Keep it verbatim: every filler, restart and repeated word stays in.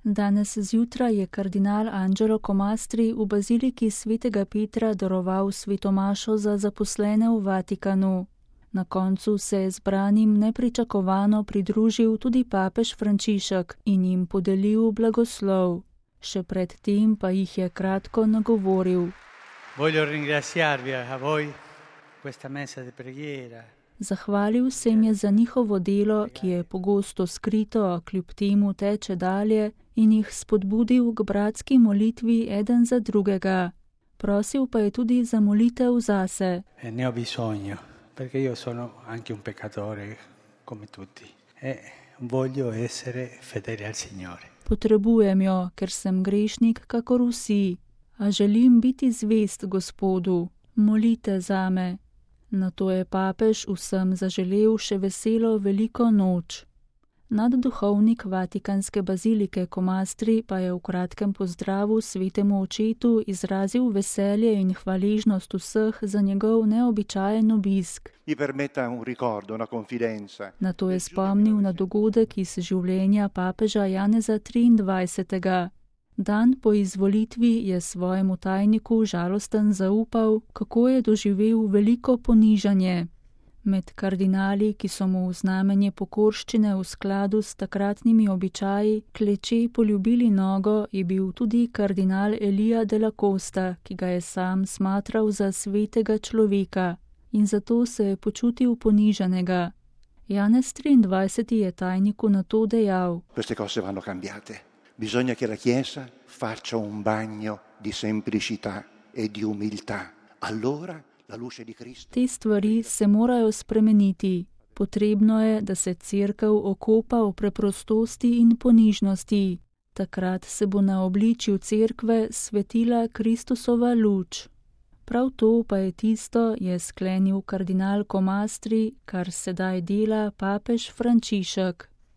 Danes zjutraj je kardinal Angelo Comastri v baziliki svetega Petra daroval svetomašo za zaposlene v Vatikanu. Na koncu se je zbranim nepričakovano pridružil tudi papež Frančišek in jim podelil blagoslov. Še pred tem pa jih je kratko nagovoril. Voglio ringraziarvi a voi questa messa di preghiera. Zahvalil se jim je za njihovo delo, ki je pogosto skrito, a kljub temu teče dalje, in jih spodbudil k bratski molitvi eden za drugega. Prosil pa je tudi za molitev zase. E ne ho bisogno, perché io sono anche un peccatore come tutti e voglio essere fedele al Signore. Potrebujem jo, ker sem grešnik kakor vsi, a želim biti zvest Gospodu. Molite zame. Nato je papež vsem zaželel še veselo veliko noč. Nadduhovnik Vatikanske bazilike Comastri pa je v kratkem pozdravu svetemu očetu izrazil veselje in hvaležnost vseh za njegov neobičajen obisk. Nato je spomnil na dogodek iz življenja papeža Janeza triindvajsetega. Dan po izvolitvi je svojemu tajniku žalosten zaupal, kako je doživel veliko ponižanje. Med kardinali, ki so mu v znamenje pokorščine v skladu s takratnimi običaji kleče poljubili nogo, je bil tudi kardinal Elija de la Costa, ki ga je sam smatral za svetega človeka in zato se je počutil ponižanega. Janez triindvajseti je tajniku na to dejal. Queste cose vanno cambiate. Bisogna che la Chiesa faccia un bagno di semplicità e di umiltà. Allora la luce di Cristo. Te stvari se morajo spremeniti. Potrebno je, da se cerkev okopa v preprostosti in ponižnosti. Takrat se bo na obličju cerkve svetila Kristusova luč. Prav to pa je tisto, je sklenil kardinal Comastri, kar sedaj dela papež Frančišek.